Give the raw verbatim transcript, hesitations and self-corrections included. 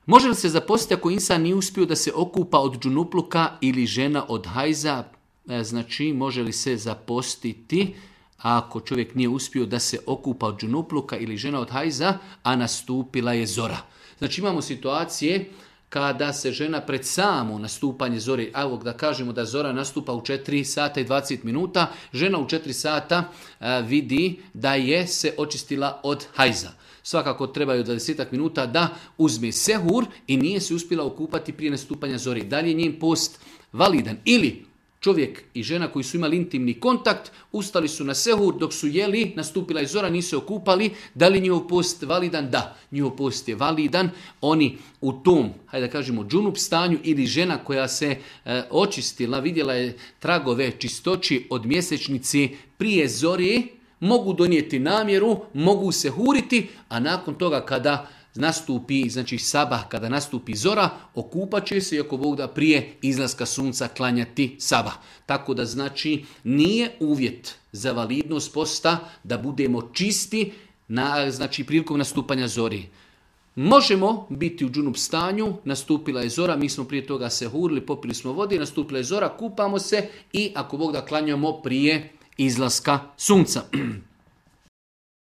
Može li se zapostiti ako insan nije uspio da se okupa od džunupluka ili žena od hajza? Znači, može li se zapostiti ako čovjek nije uspio da se okupa od džunupluka ili žena od hajza, a nastupila je zora? Znači, imamo situacije kada se žena pred samo nastupanje zore, evo da kažemo da zora nastupa u četiri sata i dvadeset minuta, žena u četiri sata a, vidi da je se očistila od hajza. Svakako trebaju dvadeset minuta da uzme sehur i nije se uspjela okupati prije nastupanja zore. Da li je njen post validan? Ili čovjek i žena koji su imali intimni kontakt, ustali su na sehur, dok su jeli, nastupila je zora, nisu se okupali. Da li njihov post validan? Da, njihov post je validan. Oni u tom, hajde da kažemo, džunup stanju ili žena koja se e, očistila, vidjela je tragove čistoći od mjesečnici prije zore, mogu donijeti namjeru, mogu se huriti, a nakon toga kada nastupi, znači sabah, kada nastupi zora, okupat će se i ako Bog da prije izlaska sunca klanjati sabah. Tako da znači nije uvjet za validnost posta da budemo čisti na, znači prilikom nastupanja zori. Možemo biti u džunup stanju, nastupila je zora, mi smo prije toga se hurili, popili smo vode, nastupila je zora, kupamo se i ako Bog da klanjamo prije izlaska sunca.